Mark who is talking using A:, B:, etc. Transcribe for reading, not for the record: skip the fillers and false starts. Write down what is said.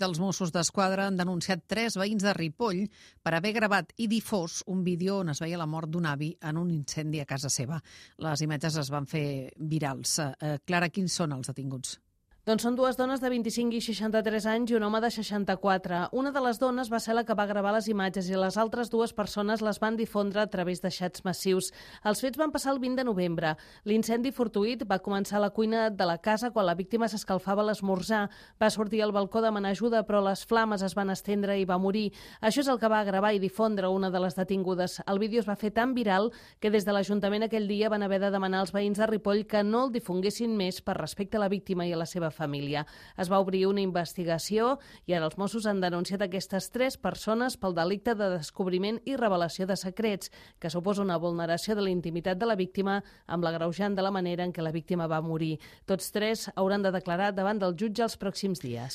A: Els Mossos d'Esquadra han denunciat 3 veïns de Ripoll per haver gravat i difós un vídeo on es veia la mort d'un avi en un incendi a casa seva. Les imatges es van fer virals. Clara, quins són els detinguts?
B: Doncs són 2 dones de 25 i 63 anys i un home de 64. Una de les dones va ser la que va gravar les imatges i les altres 2 persones les van difondre a través de xats massius. Els fets van passar el 20 de novembre. L'incendi fortuït va començar a la cuina de la casa quan la víctima s'escalfava a l'esmorzar. Va sortir al balcó a demanar ajuda, però les flames es van estendre i va morir. Això és el que va gravar i difondre una de les detingudes. El vídeo es va fer tan viral que des de l'Ajuntament aquell dia van haver de demanar als veïns de Ripoll que no el difonguessin més per respecte a la víctima i a la seva família. Es va obrir una investigació i ara els Mossos han denunciat aquestes 3 persones pel delicte de descobriment i revelació de secrets, que suposa una vulneració de la intimitat de la víctima amb l'agreujant de la manera en què la víctima va morir. Tots 3 hauran de declarar davant del jutge els pròxims dies.